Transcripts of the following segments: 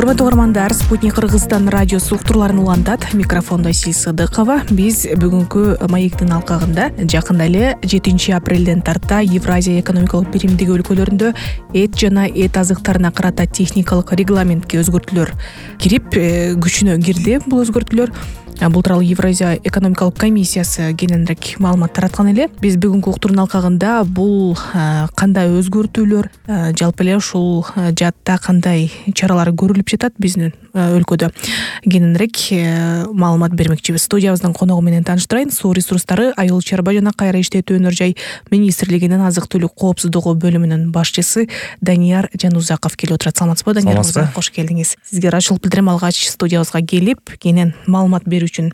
Урматтуу угармандар, Спутник Кыргызстан радиосу уктурууларын улантат. Микрофондо Сил Сыдыкова. Биз бүгүнкү маектин алкагында жакында эле 7 апрелден тарта Евразия экономикалык биримдиги өлкөлөрүндө эт жана эт азыктарына карата техникалык регламентке өзгөртүүлөр кирип, күчүнө кирди. Бул өзгөртүүлөр бул тууралуу Евразия экономикалык комиссиясы кененирээк маалымат тараткан эле. Биз бүгүнкү уктуруунун алкагында бул кандай өзгөртүүлөр, жалпы эле ушул жаатта кандай чаралар көрүлүп жатат биздин өлкөдө кененирээк маалымат бермекчибиз. Студиябыздын коногу менен тааныштырайын. Суу ресурстары, айыл чарба жана кайра иштетүү өнөр жай министрлигинин азык-түлүк коопсуздугу бөлүмүнүн башчысы Данияр Жанузаков келип отурат. Саламатсызбы, Данияр мырза? Кош келдиңиз. Сизге ырайчылык билдирем, алгач студиябызга келип, кенен маалымат берүү үчүн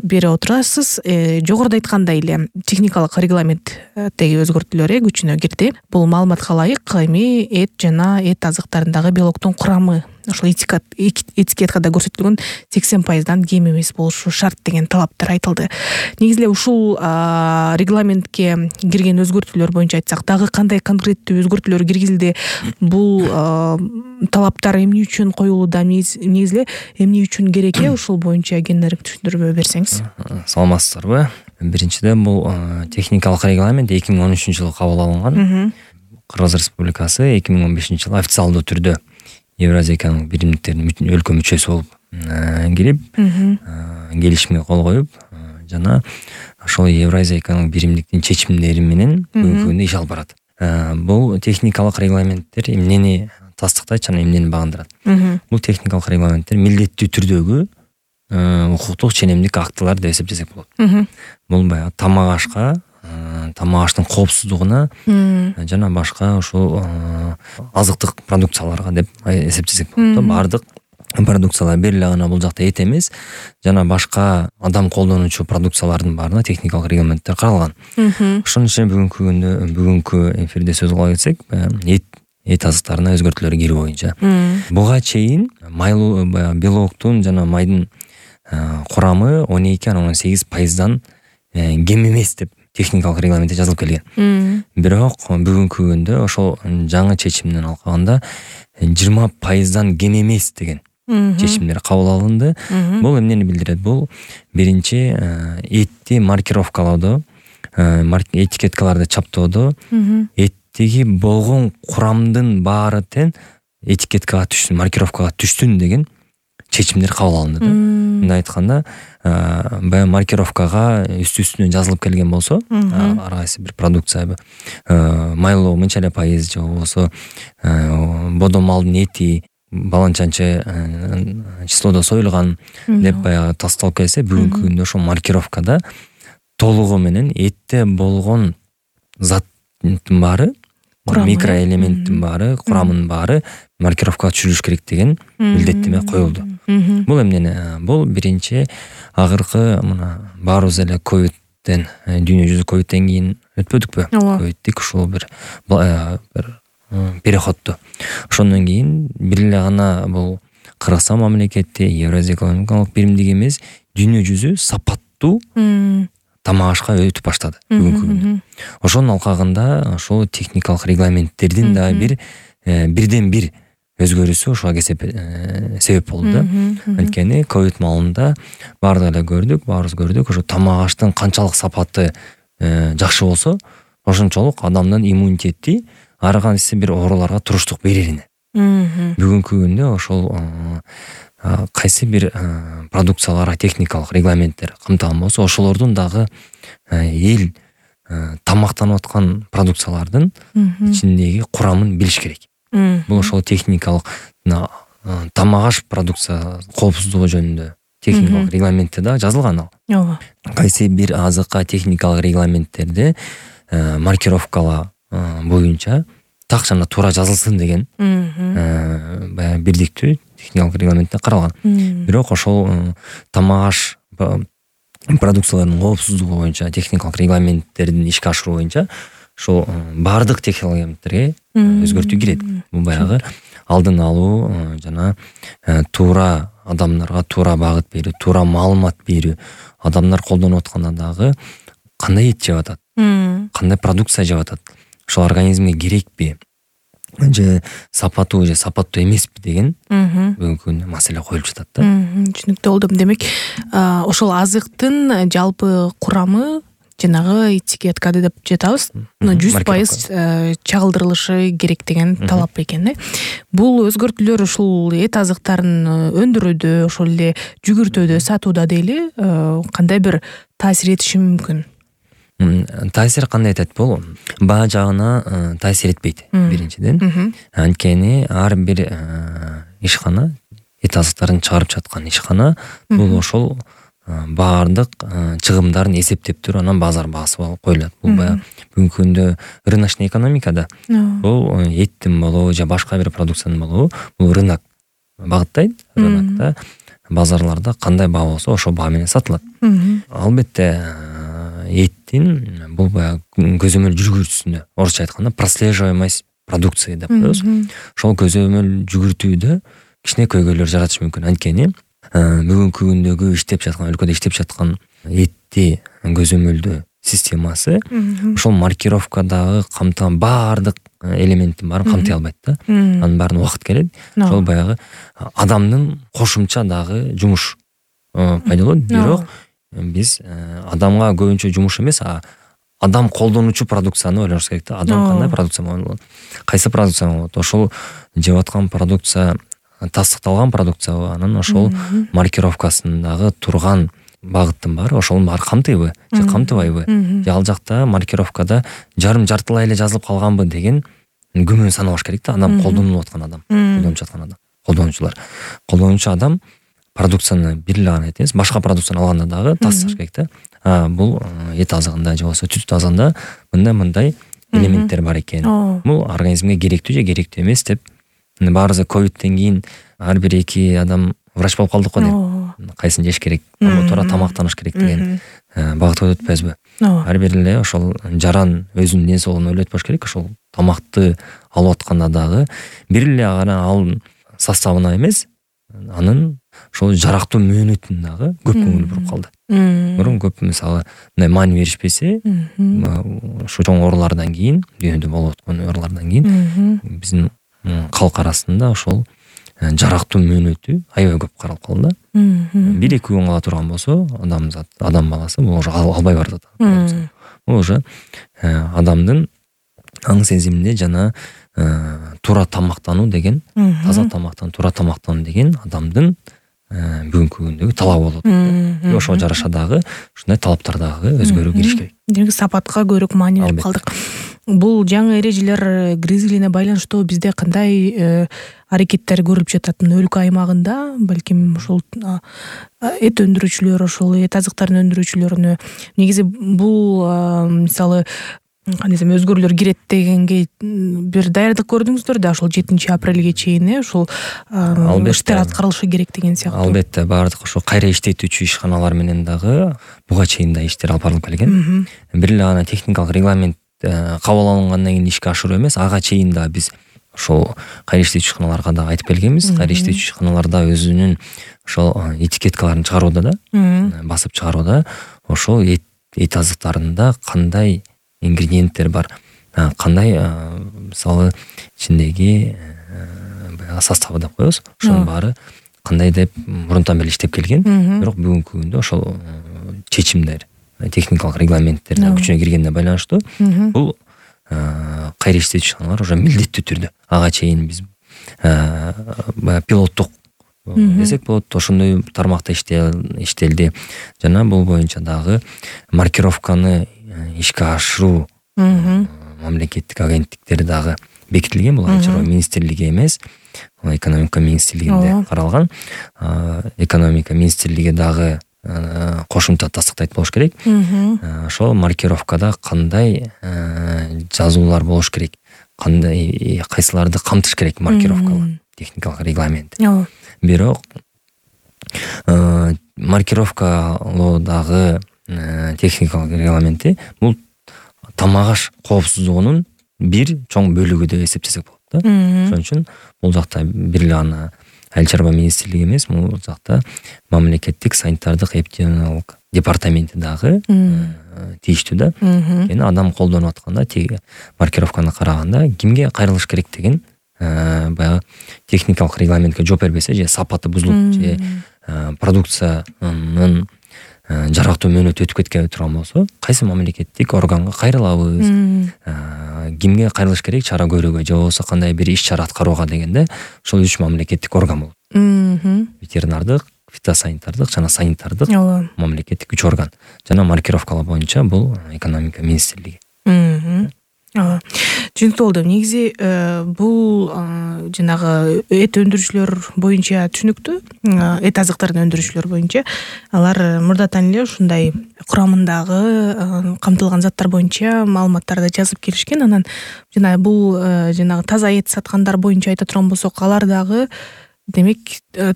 бере отурасыз. Жогоруда айткандай эле техникалык регламенттеги өзгөртүүлөр күчүнө кирди. Бул маалыматка ылайык эми эт жана эт азыктарындагы белоктун курамы ошол этикеткада көрсөтүлгөн 80%дан кем эмес болушу шарт деген талаптар айтылды. Негизи эле ушул регламентке кирген өзгөртүүлөр боюнча айтсак, дагы кандай конкреттүү өзгөртүүлөр киргизилди? Бул талаптар эмне үчүн коюлууда, негизи эле эмне үчүн керек? Ушул боюнча кененирээк түшүндүрмө берсеңиз. Саламатсыздарбы? Биринчиден бул техникалык регламент 2013-жылы кабыл алынган. Кыргыз Республикасы 2015-жылы официалдуу түрдө Евразия экономикалык биримдиктеринин өлкө мүчөсү болуп кирип, келишимге кол коюп, жана ошол Евразия экономикалык биримдиктин чечимдери менен бүгүнкү күндө иш алып барат. Бул техникалык регламенттер эмнени тастыктайт жана эмнени багындырат? Бул техникалык регламенттер милдеттүү түрдөгү укуктук ченемдик актылар деп эсептесек болот. Бул баягы тамак ашка, тамак аштын коопсуздугуна жана башка ушул азыктык продукцияларга деп эсептесек болот. Бардык продукциялар бир эле гана бул жакта эт эмес, жана башка адам колдонуучу продукциялардын баарына техникалык регламенттер каралган. Ошонун ичинде бүгүнкү эфирде сөз кыла кетсек, эт азыктарына өзгөртүүлөр кирүү боюнча. Буга чейин майлуу белоктун жана майдын курамы 12-18%дан кем эмес деп техникалык регламентте жазылып келген. Бирок бүгүнкү күндө ошол жаңы чечимдин алкагында 20%дан кем эмес деген чечимдер кабыл алынды. Бул эмнени билдирет? Бул биринчи этти маркировкалоодо, этикеткаларды чаптоодо эттеги болгон курамдын баары тең этикеткага түшсүн, маркировкага түшсүн деген чечимдер кабыл алынды. Мындай айтканда, баягы маркировкага үстүнө жазылып келген болсо, ар кайсы бир продукция майлоо мынча эле пайыз же болбосо бодо малдын эти баланчанчы числодо союлган деп баягы тасталып келсе, бүгүнкү күндө ошол маркировкада толугу менен этте болгон заттын баары, микроэлементтин баары, курамынын баары маркировкага түшүрүлүш керек деген милдеттеме коюлду. Бул эмнени? Бул биринчи акыркы мына баарыбыз эле ковидтен, дүйнө жүзү ковидтен кийин өтпөдүкпү? Ковидтик ушул бир переходду. Ошондон кийин бир эле гана бул Кыргызстан мамлекети, Евразия экономикалык биримдиги эмес, дүйнө жүзү сапаттуу тамак ашка өтүп баштады бүгүнкү күндө. Ошонун алкагында ошол техникалык регламенттердин да бирден бир өзгөрүүсү ошого себеп болду да. Анткени ковид маалында баарыбыз көрдүк, ошо тамак аштын канчалык сапаты жакшы болсо, ошончолук адамдын иммунитети ар кайсы бир ооруларга туруштук берерине. Бүгүнкү күндө ошол кайсы бир продукцияларга техникалык регламенттер камтылган болсо, ошолордун дагы эл тамактанып аткан продукциялардын ичиндеги курамын билиш керек. Бул ошол техникалык тамак аш продукция коопсуздугу жөнүндө техникалык регламентте да жазылган ал. Кайсы бир азыкка техникалык регламенттерде маркировкала боюнча так жана туура жазылсын деген баягы бирдиктүү техникалык регламентте каралган. Бирок ошол тамак аш продукцияларынын коопсуздугу боюнча техникалык регламенттердин ишке ашыруу боюнча ошол баардык технологияларга өзгөртүү кирет. Бул баягы алдын алуу жана туура адамдарга туура багыт берүү, туура маалымат берүү, адамдар колдонуп атканда дагы кандай эт жеп атат, кандай продукция жеп атат, ошол организмге керекпи, же сапаттуу же сапаттуу эмеспи деген бүгүнкү күндө маселе коюлуп жатат да. Түшүнүктүү болду. Демек ошол азыктын жалпы курамы жанагы этикеткада деп жатабыз 100% чагылдырылышы керек деген талап экен. Бул өзгөртүүлөр ушул эт азыктарын өндүрүүдө, ошол эле жүгүртүүдө, сатууда дейли кандай бир таасир этиши мүмкүн? Таасир кандай этет бул? Баа жагына таасир этпейт биринчиден. Анткени ар бир ишкана, эт азыктарын чыгарып жаткан ишкана бул ошол баардык чыгымдарын эсептеп туруп анан базар баасы коюлат. Бул баягы бүгүнкү күндө рыночный экономикада бул эттин болобу же башка бир продукциянын болобу бул рынок багыттайт. Рынокто базарларда кандай баа болсо ошол баа менен сатылат. Албетте эттин бул баягы көзөмөл жүргүрүүсүндө, орусча айтканда прослеживаемость продукции деп коебуз. Ошол көзөмөл жүгүртүүдө кичине көйгөйлөр жаратышы мүмкүн. Анткени бүгүнкү күндөгү иштеп жаткан, өлкөдө иштеп жаткан этти көзөмөлдөө системасы ошол маркировкадагы камтыган баардык элементтин баарын камтый албайт да. Анын баарын убакыт келет. Ошол баягы адамдын кошумча дагы жумуш пайда болот. Бирок биз адамга көбүнчө жумуш эмес, адам колдонуучу продукцияны ойлонуш керек да. Адам кандай продукция болот? Кайсы продукция болот? Ошол жеп аткан продукция тастыкталган продукциябы, анан ошол маркировкасындагы турган багыттын баары ошонун баары камтыйбы же камтыбайбы? Же ал жакта маркировкада жартылай эле жазылып калганбы деген күмөн санабаш керек да. Адам колдонуп аткан адам, колдонуп жаткан адам, колдонуучулар. Колдонуучу адам продукцияны бир эле гана эмес, башка продукцияны алганда дагы тасташ керек да. Бул эт азыгында же болбосо түз азыгында мындай элементтер бар экен. Бул организмге керектүү же керектүү эмес деп. Баарыбыз ковидтен кийин ар бир 2 адам врач болуп калдык го деп. Кайсын жеш керек, туура тамактаныш керек деген багытка өтпөйбүзбү? Ар бир эле ошол жаран өзүнүн ден соолугун ойлойт болуш керек. Ошол тамакты алып атканда дагы бир эле гана ал составына эмес, анын ошол жарактуу мөөнөтүн дагы көп көңүл буруп калды. Мурун көп мисалы мындай маани беришпесе, ушу чоң оорулардан кийин, дүйнөдө болуп аткан оорулардан кийин биздин калк арасында ошол жарактуу мөөнөтү аябай көп каралып калды да. 1-2 күн кала турган болсо, адам баласы бул уже албай барат. Бул уже адамдын аң сезиминде жана туура тамактануу деген, таза тамактануу, туура тамактануу деген адамдын бүгүнкү күндөгү талабы болот. Ошого жараша дагы ушундай талаптар дагы өзгөрүү кириш керек. Демек сапатка көбүрөөк маани берип калдык. Бул жаңы эрежелер гризилине байланыштуу бизде кандай аракеттер көрүлүп жатат? Өлкө аймагында балким ошол эт өндүрүүчүлөр, ошол эт азыктарын өндүрүүчүлөрүнө негизи бул мисалы кандай десем өзгөрүүлөр кирет дегенге бир даярдык көрдүңүздөр да, ошол 7 апрелге чейин ошол иштер аткарылышы керек деген сыяктуу. Албетте баардык ошо кайра иштетүүчү ишканалар менен дагы буга чейин да иштер алып барылып келген. Бир эле гана техникалык регламент кабыл алынгандан кийин ишке ашыруу эмес, ага чейин да биз ошол кайра иштетүүчү ишканаларга да айтып келгенбиз. Кайра иштетүүчү ишканаларда өзүнүн ошол этикеткаларын чыгарууда да, басып чыгарууда ошол эт азыктарында кандай ингредиенттер бар, кандай мисалы ичиндеги составы деп коебуз, ошонун баары кандай деп мурунтан бери иштеп келген. Бирок бүгүнкү күндө ошол чечимдер, техникалык регламенттер күчүнө киргенге байланыштуу бул кайра иштетүүчү ишканалар уже милдеттүү түрдө ага чейин биз пилоттук десек болот, ошондой тармакта иштелди. Жана бул боюнча дагы маркировканы ишке ашыруу мамлекеттик агенттиктери дагы бекитилген. Бул Айыл чарба министрлиги эмес, экономика министрлигинде каралган. Экономика министрлиги дагы кошумча тастыктайт болуш керек. Ошол маркировкада кандай жазуулар болуш керек, кандай кайсыларды камтыш керек маркировкалар, техникалык регламент. Бирок маркировкалоодагы техникалык регламенти бул тамак аш коопсуздугунун бир чоң бөлүгү деп эсептесек болот да. Ошон үчүн бул жакта бир эле гана Айыл чарба министрлиги эмес, бул жакта мамлекеттик санитардык эпидемиологиялык департаменти дагы тийиштүү да. Эми адам колдонуп атканда тиги маркировканы караганда кимге кайрылыш керек деген баягы техникалык регламентке жооп бербесе, же сапаты бузулуп, же продукциянын жарактуу мөөнөтү өтүп кеткен турган болсо, кайсы мамлекеттик органга кайрылабыз, кимге кайрылыш керек, чара көрүүгө же болбосо кандай бир иш чара аткарууга дегенде ошол 3 мамлекеттик орган болот. Ветеринардык, фитосанитардык жана санитардык мамлекеттик 3 орган. Жана маркировкалар боюнча бул экономика министрлиги. Түшүнүктүү болду. Негизи бул жанагы эт өндүрүүчүлөр боюнча түшүнүктүү. Эт азыктарын өндүрүүчүлөр боюнча алар мурдатан эле ушундай курамындагы камтылган заттар боюнча маалыматтарды жазып келишкен. Анан жана бул жанагы таза эт саткандар боюнча айта турган болсок, алар дагы демек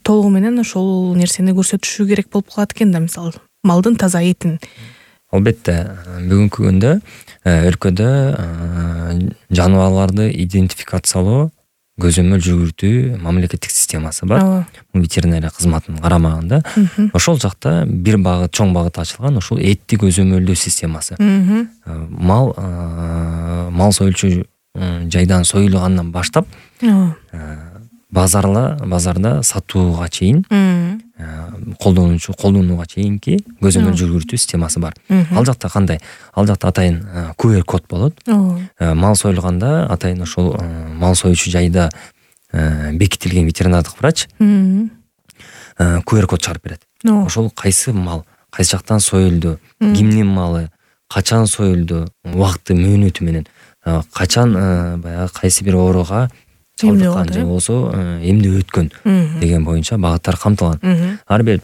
толугу менен ошол нерсени көрсөтүшү керек болуп калат экен да, мисалы малдын таза этин. Албетте, бүгүнкү күндө өлкөдө жаныбарларды идентификациялоо, көзөмөл жүргүзүү мамлекеттик системасы бар. Бул ветеринария кызматынын карамагында. Ошол жакта бир багыт, чоң багыт ачылган, ошол этти көзөмөлдөө системасы. Мал союлчу жайдан союлгандан баштап базарда сатууга чейин, колдонууга чейинки көзөмөл жүргүзүү системасы бар. Ал жакта кандай? Ал жакта атайын QR код болот. Мал союлганда атайын ошол мал союучу жайда бекитилген ветеринардык врач QR код чыгарып берет. Ошол кайсы мал, кайсы жактан союлду, кимдин малы, качан союлду, убакыты, мөөнөтү менен, качан баягы кайсы бир ооруга чалдыккан же болсо эмне өткөн деген боюнча багыттар камтылган. Ар бир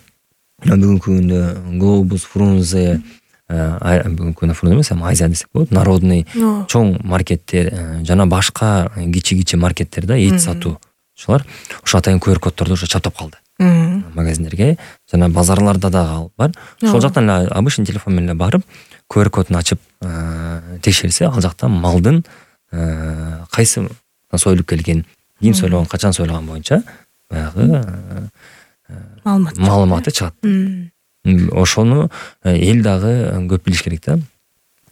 бүгүнкү күндө Глобус, Фрунзе, бүгүнкү күндө Фрунзе эмес, Азия десек болот, народный чоң маркеттер жана башка кичи маркеттерде эт сатуучулар ошо атайын QR коддорду уже чаптап калды. Магазиндерге жана базарларда дагы бар. Ошол жактан эле обычный телефон менен барып QR кодун ачып текшерсе, ал жакта малдын кайсы союлуп келген, ким союлган, качан союлган боюнча баягы маалыматы чыгат. Ошону эл дагы көп билиш керек да.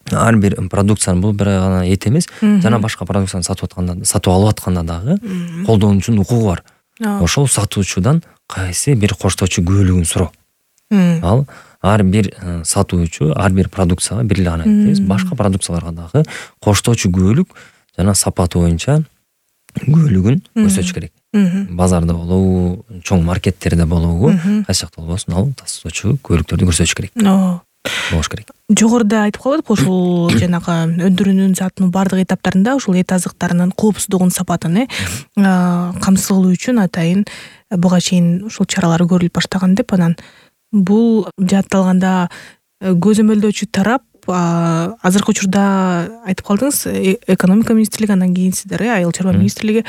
Ар бир продукциянын, бул бир гана эт эмес, жана башка продукцияны сатып алып атканда дагы колдонуучунун укугу бар. Ошол сатуучудан кайсы бир коштоочу күбөлүгүн суроо. Ал ар бир сатуучу ар бир продукцияга бир эле гана эмес, башка продукцияларга дагы коштоочу күбөлүк жана сапаты боюнча күбөлүгүн көрсөтүш керек. Базарда болобу, чоң маркеттерде болобу, кайсы жакта болбосун, ал тастоочу күбөлүктөрдү көрсөтүш керек. Болуш керек. Жогоруда айтып калдык, ошол жанагы өндүрүүнүн сатынын бардык этаптарында ошол эт азыктарынын коопсуздугун, сапатын камсыздоо үчүн атайын буга чейин ушул чаралар көрүлүп баштаган деп, анан бул жаатталганда көзөмөлдөөчү тарап азыркы учурда айтып калдыңыз, экономика министрлиги, андан кийин сиздер айыл чарба министрлиги,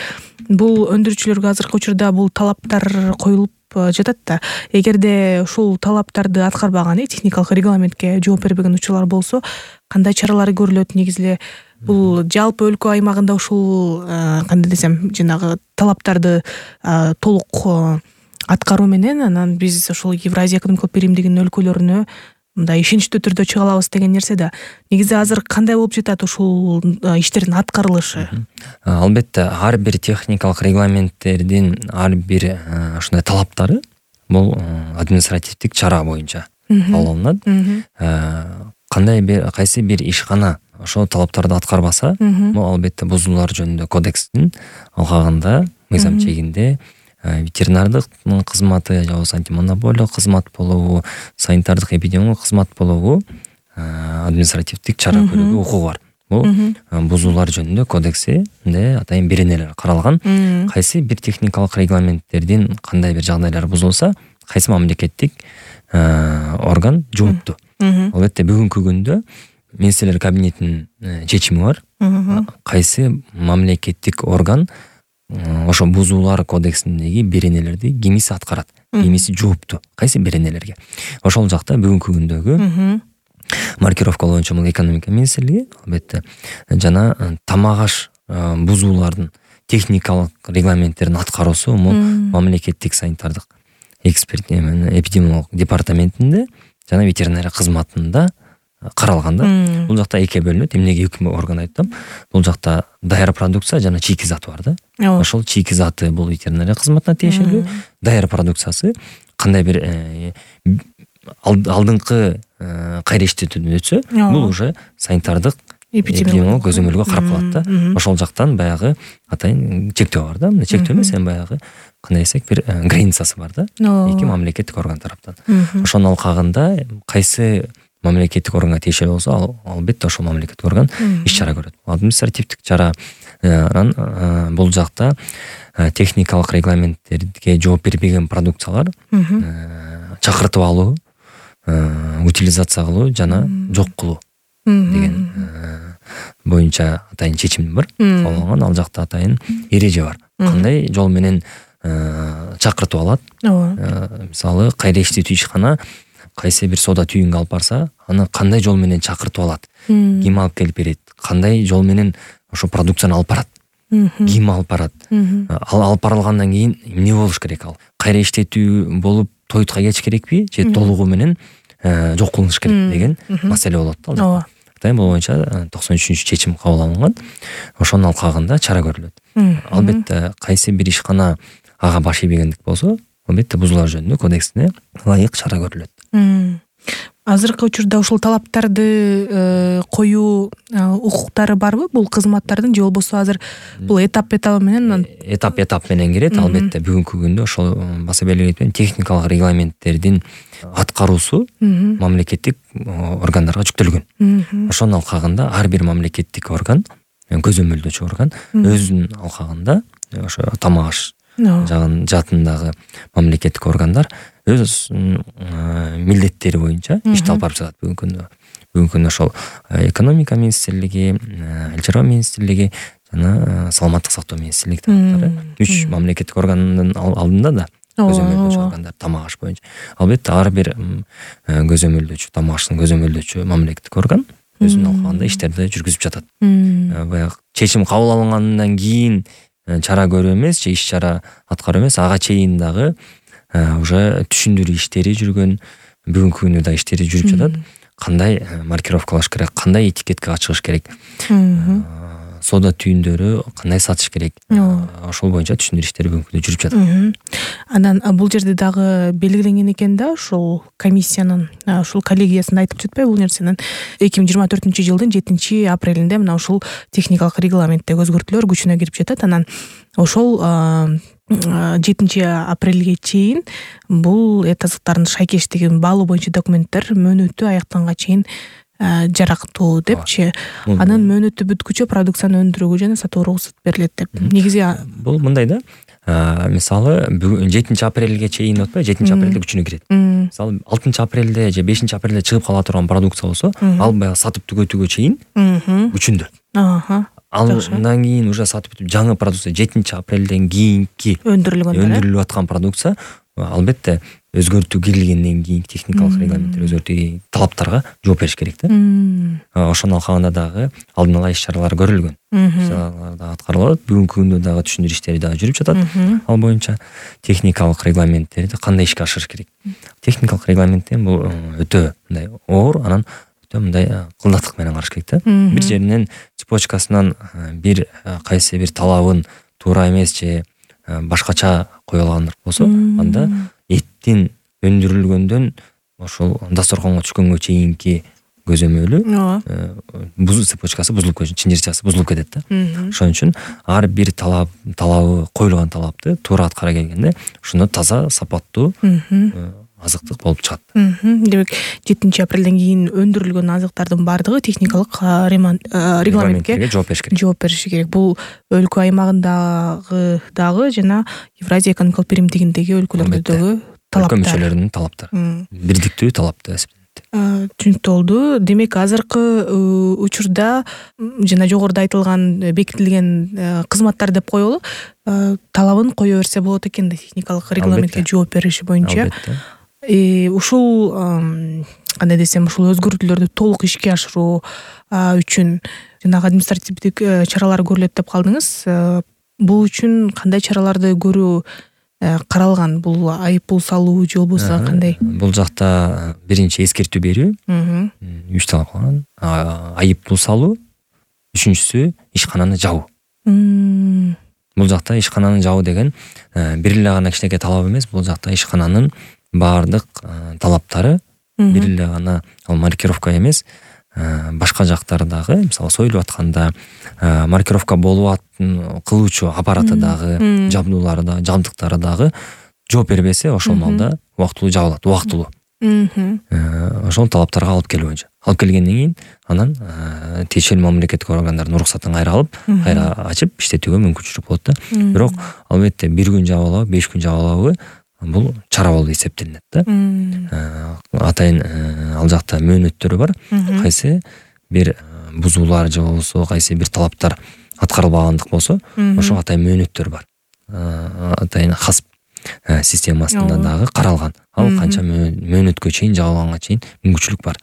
бул өндүрүүчүлөргө азыркы учурда бул талаптар коюлуп жатат да. Эгерде ушул талаптарды аткарбаган, техникалык регламентке жооп бербеген учурлар болсо, кандай чаралар көрүлөт? Негизи эле бул жалпы өлкө аймагында ушул кандай десем, жанагы талаптарды толук аткаруу менен анан биз ошол Евразия экономикалык биримдигинин өлкөлөрүнө мындай ишеничтүү түрдө чыга алабыз деген нерсе да. Негизи азыр кандай болуп жатат ушул иштердин аткарылышы? Албетте, ар бир техникалык регламенттердин ар бир ушундай талаптары бул административдик чара боюнча кабыл алынат. Кайсы бир ишкана ошол талаптарды аткарбаса, бул албетте бузуулар жөнүндө кодекстин алкагында, мыйзам чегинде ветеринардык кызматы же болбосо антимонополиялык кызмат болобу, санитардык эпидемиологиялык кызмат болобу, административдик чара көрүүгө укугу бар. Бул бузуулар жөнүндө кодексинде атайын беренелер каралган. Кайсы бир техникалык регламенттердин кандай бир жагдайлары бузулса, кайсы мамлекеттик орган жоопту. Албетте, бүгүнкү күндө министрлер кабинетинин чечими бар. Кайсы мамлекеттик орган ошо бузуулар кодексиндеги беренелерди кимиси аткарат, кимиси жоопту, кайсы беренелерге. Ошол жакта бүгүнкү күндөгү маркировка боюнча бул экономика министрлиги, албетте, жана тамак аш бузуулардын техникалык регламенттердин аткаруусу мамлекеттик санитардык эксперт эпидемиологиялык департаментинде жана ветеринария кызматында каралган да. Бул жакта экиге бөлүнөт. Эмнеге эки орган айттым? Бул жакта даяр продукция жана чийки заты бар да. Ошол чийки заты бул ветеринария кызматына тиешелүү, даяр продукциясы кандай бир алдыңкы кайра иштетүүдөн өтсө, бул уже санитардык эпидемиологиялык көзөмөлгө карап калат да. Ошол жактан баягы атайын чектөө бар да. Чектөө эмес, баягы кандай десек бир границасы бар да. Эки мамлекеттик орган тараптан. Ошонун алкагында кайсы мамлекеттик органга тиешелүү болсо, албетте ошол мамлекеттик орган иш чара көрөт. Административдик чара бул жакта техникалык регламенттерге жооп бербеген продукциялар чакыртып алуу, утилизация кылуу жана жок кылуу деген боюнча атайын чечим бар. Ал жакта атайын эреже бар. Кандай жол менен чакыртып алат. Мисалы, кайра иштетүү ишкана кайсы бир соода түйүнгө алып барса, аны кандай жол менен чакыртып алат, ким алып келип берет, кандай жол менен ошо продукцияны алып барат, ким алып барат, ал алып барылгандан кийин эмне болуш керек, ал кайра иштетүү болуп тойтка кетиш керекпи же толугу менен жок кылыныш керек деген маселе болот да. Ал атайын бул боюнча 93-чечим кабыл алынган. Ошонун алкагында чара көрүлөт. Албетте кайсы бир ишкана ага баш ийбегендик болсо, албетте бузулар жөнүндө кодексине ылайык чара көрүлөт. Азыркы учурда ушул талаптарды коюу укуктары барбы бул кызматтардын, же болбосо азыр бул этап менен кирет. Албетте бүгүнкү күндө ошол баса белгилеп техникалык регламенттердин аткаруусу мамлекеттик органдарга жүктөлгөн. Ошонун алкагында ар бир мамлекеттик орган, көзөмөлдөөчү орган өзүнүн алкагында ошо тамак аш жаатындагы мамлекеттик органдар өз милдеттери боюнча ишти алып барып жатат бүгүнкү күндө. Ошол экономика министрлиги, айыл чарба министрлиги жана саламаттык сактоо министрлиги тараптары 3 мамлекеттик органдын алдында да көзөмөлдөөчү органдар тамак аш боюнча. Албетте ар бир көзөмөлдөөчү, тамак аштын көзөмөлдөөчү мамлекеттик орган өзүнүн алкагында иштерди жүргүзүп жатат. Баягы чечим кабыл алынгандан кийин чара көрүү эмес же иш чара аткаруу эмес, ага чейин дагы уже түшүндүрүү иштери жүргөн, бүгүнкү күндө да иштери жүрүп жатат. Кандай маркировкалаш керек, кандай этикетке чыгыш керек, соода түйүндөрү кандай сатыш керек, ошол боюнча түшүндүрүү иштери бүгүнкү күндө жүрүп жатат. Анан бул жерде дагы белгиленген экен да, ушул комиссиянын, ушул коллегиясында айтып жатпайбы бул нерсенин 2024-жылдын 7-апрелинде мына ушул техникалык регламенттеги өзгөртүүлөр күчүнө кирип жатат. Анан ошол 7-апрелге чейин бул эт азыктардын шайкештигин баалоо боюнча документтер мөөнөтү аяктанганга чейин жарактуу депчи. Анын мөөнөтү бүткүчө продукцияны өндүрүүгө жана сатууга уруксат берилет деп. Негизи бул мындай да. Мисалы 7-апрелге чейин отпой, 7-апрелде күчүнө кирет. Мисалы 6-апрелде же 5-апрелде чыгып кала турган продукция болсо, ал баягы сатып түгөтүүгө чейин күчүндө. Андан кийин уже сатып бүтүп жаңы продукция 7-апрелден кийинки өндүрүлүп аткан продукция албетте өзгөртүү кирилгенден кийин техникалык регламенттер өзгөртүү талаптарга жооп бериш керек да. Ошонун алкагында дагы алдын ала иш чаралар көрүлгөн. Чаралар да аткарылат. Бүгүнкү күндө дагы түшүндүрүү иштери дагы жүрүп жатат. Ал боюнча техникалык регламенттерди кандай ишке ашырыш керек. Техникалык регламенттен бул өтө мындай оор, анан өтө мындай кылдаттык менен караш керек да. Бир жеринен цепочкасынан бир кайсы бир талабын туура эмес же башкача кое алган болсо, анда эттин өндүрүлгөндөн ошол дасторконго түшкөнгө чейинки көзөмөлү цепочкасы бузулуп кетет, чынжырчасы бузулуп кетет да. Ошон үчүн ар бир талабы коюлган талапты туура аткара келгенде ошондо таза, сапаттуу азыктык болуп чыгат. Демек 7-апрелден кийин өндүрүлгөн азыктардын баардыгы техникалык регламентке жооп бериши керек. Бул өлкө аймагындагы дагы жана Евразия экономикалык биримдигиндеги өлкөлөрдөгү талаптар. Өлкө мүчөлөрүнүн талаптары. Бирдиктүү талап деп эсептелет. Түшүнүктүү болду. Демек азыркы учурда жана жогоруда айтылган бекитилген кызматтар деп коелу, талабын кое берсе болот экен да, техникалык регламентке жооп бериши боюнча. Ушул кандай десем, ушул өзгөртүүлөрдү толук ишке ашыруу үчүн жанагы административдик чаралар көрүлөт деп калдыңыз. бул үчүн кандай чараларды көрүү каралган? Бул айып пул салуу же болбосо кандай? Бул жакта биринчи эскертүү берүү 3 талап калган. Айып пул салуу, үчүнчүсү ишкананы жабуу. Бул жакта ишкананы жабуу деген бир эле гана кичинекей талап эмес, бул жакта ишкананын баардык талаптары бир эле гана ал маркировка эмес, башка жактардагы, мисалы союлуп атканда маркировка болуп кылуучу аппараты дагы, жабдуулары да, жабдыктары дагы жооп бербесе, ошол маалда убактылуу жабылат, убактылуу. Ошол талаптарга алып келүү боюнча. Алып келгенден кийин анан тиешелүү мамлекеттик органдардын уруксатын кайра алып, кайра ачып иштетүүгө мүмкүнчүлүк болот да. Бирок албетте 1 күн жабылабы, 5 күн жабылабы бул чара болуп эсептелинет да. Атайын ал жакта мөөнөттөрү бар. Кайсы бир бузуулар же болбосо кайсы бир талаптар аткарылбагандык болсо, ошого атайын мөөнөттөр бар. Атайын хасп системасында дагы каралган. Ал канча мөөнөткө чейин, жабылганга чейин мүмкүнчүлүк бар.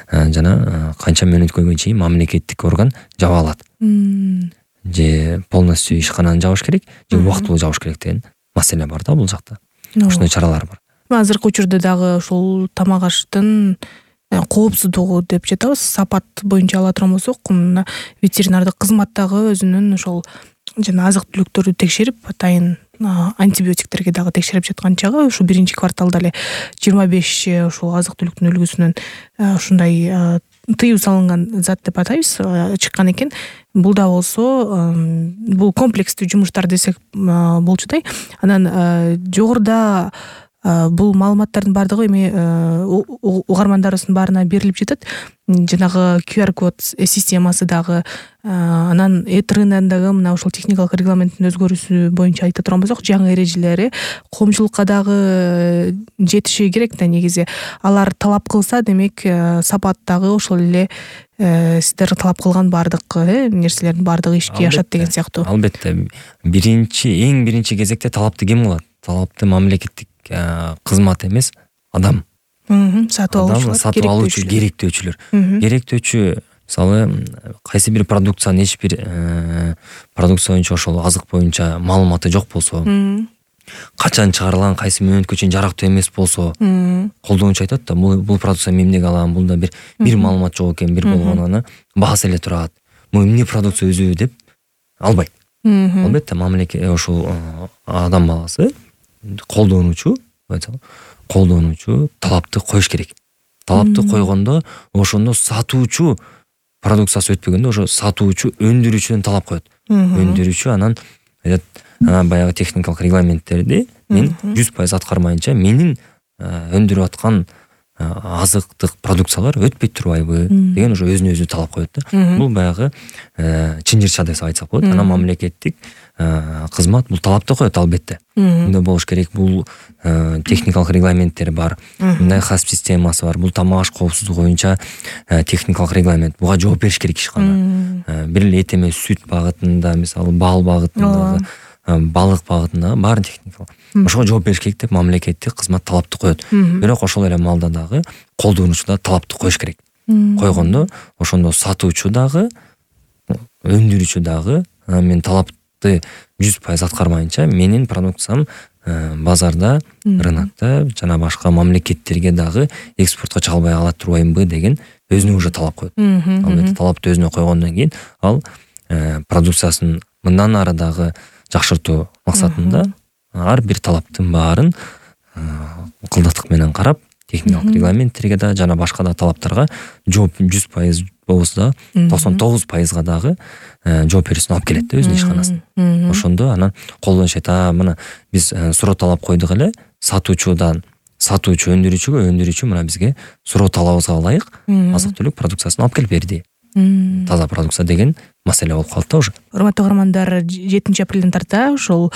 Жана канча мөөнөткө чейин мамлекеттик орган жаба алат. Же полностью ишкананы жабыш керек, же убактылуу жабыш керек деген маселе бар да бул жакта. Ошондой чаралар бар. Азыркы учурда дагы ушул тамак аштын коопсуздугу деп жатабыз. Сапат боюнча ала турган болсок, мына ветеринардык кызмат дагы өзүнүн ошол жана азык түлүктөрдү текшерип, атайын антибиотиктерге дагы текшерип жаткан чагы ушу биринчи кварталда эле 25 ушул азык түлүктүн үлгүсүнөн ушундай тыюу салынган зат деп атайбыз чыккан экен. Бул да болсо бул комплекстүү жумуштар десек болчудай. Анан жогоруда бул маалыматтардын баардыгы эми угармандарыбыздын баарына берилип жатат. Жанагы QR код системасы дагы, анан рыногундагы мына ошол техникалык регламенттин өзгөрүүсү боюнча айта турган болсок, жаңы эрежелери коомчулукка дагы жетиши керек да. Негизи алар талап кылса, демек сапат дагы ошол эле сиздер талап кылган баардык нерселердин баардыгы ишке ашат деген сыяктуу. Албетте эң биринчи кезекте талапты ким кылат? Талапты мамлекеттик кызмат эмес, адам. Сатып алуучу, керектөөчүлөр. Керектөөчү, мисалы, кайсы бир продукциянын эч бир продукция боюнча, ошол азык боюнча маалыматы жок болсо, качан чыгарылган, кайсы мөөнөткө чейин жарактуу эмес болсо, колдонуучу айтат да, бул продукция мен эмнеге алам, булда бир маалымат жок экен, бир болгону баасы эле турат. Бул эмне продукция өзү деп албайт. Албетте мамлекет ошол адам баласы колдонуучу талапты коюш керек. Талапты койгондо, ошондо сатуучу продукциясы өтпөгөндө, ошо сатуучу өндүрүүчүдөн талап коет. Өндүрүүчү анан баягы техникалык регламенттерди мен 100% аткармайынча менин өндүрүп аткан азыктык продукциялар өтпөй турбайбы деген ошо өзүнө өзү талап коет да. Бул баягы чынжырча деп айтсак болот. Анан мамлекеттик кызмат бул талапты коет албетте. Мындай болуш керек, бул техникалык регламенттер бар. Мындай хасп системасы бар. Бул тамак аш коопсуздугу боюнча техникалык регламент. Буга жооп бериш керек ишкана. Бир эле эт эмес, сүт багытында, мисалы, бал багытындагы, балык багытындагы баарын техникалык. Ошого жооп бериш керек деп мамлекеттик кызмат талапты коет. Бирок ошол эле маалда дагы колдонуучу да талапты коюш керек. Койгондо ошондо сатуучу дагы, өндүрүүчү дагы мен талапты 100% аткармайынча менин продукциям базарда, рынокто жана башка мамлекеттерге дагы экспортко чыгалбай кала турбаймынбы деген өзүнө уже талап коет. Албетте талапты өзүнө койгондон кийин ал продукциясын мындан ары дагы жакшыртуу максатында ар бир талаптын баарын ыкылдыктык менен карап, техникалык регламенттерге да жана башка да талаптарга жооп 100% болбосо да 99% дагы жооп берүүсүн алып келет да өзүнүн ишканасын. Ошондо анан колдонушат, мына биз суроо талап койдук эле, сатуучу өндүрүүчүгө, өндүрүүчү мына бизге суроо талабыбызга ылайык азык түлүк продукциясын алып келип берди. Таза продукция деген маселе болуп калды да уже. Урматтуу угармандар, 7 апрелден тарта ошол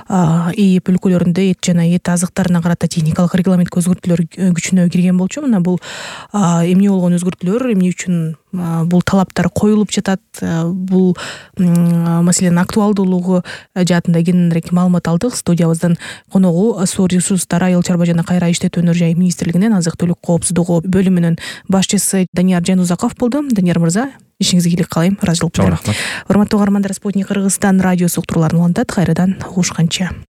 ИИП өлкөлөрүндө эт жана эт азыктарына карата техникалык регламентке өзгөртүүлөр күчүнө кирген болчу. Мына бул эмне болгон өзгөртүүлөр, эмне үчүн бул талаптар коюлуп жатат, бул маселенин актуалдуулугу жаатында кененирээк маалымат алдык. Студиябыздын коногу суу ресурстары, айыл чарба жана кайра иштетүү өнөр жай министрлигинин азык түлүк коопсуздугу бөлүмүнүн башчысы Данияр Жайнузаков болду. Данияр мырза, ишиңизге ийгилик каалайм. Ыраазычылык чоң билдирем. рахмат. Урматтуу угармандар, Спутник Кыргызстан радиосу уктурууларын улантат. Кайрадан угушканча.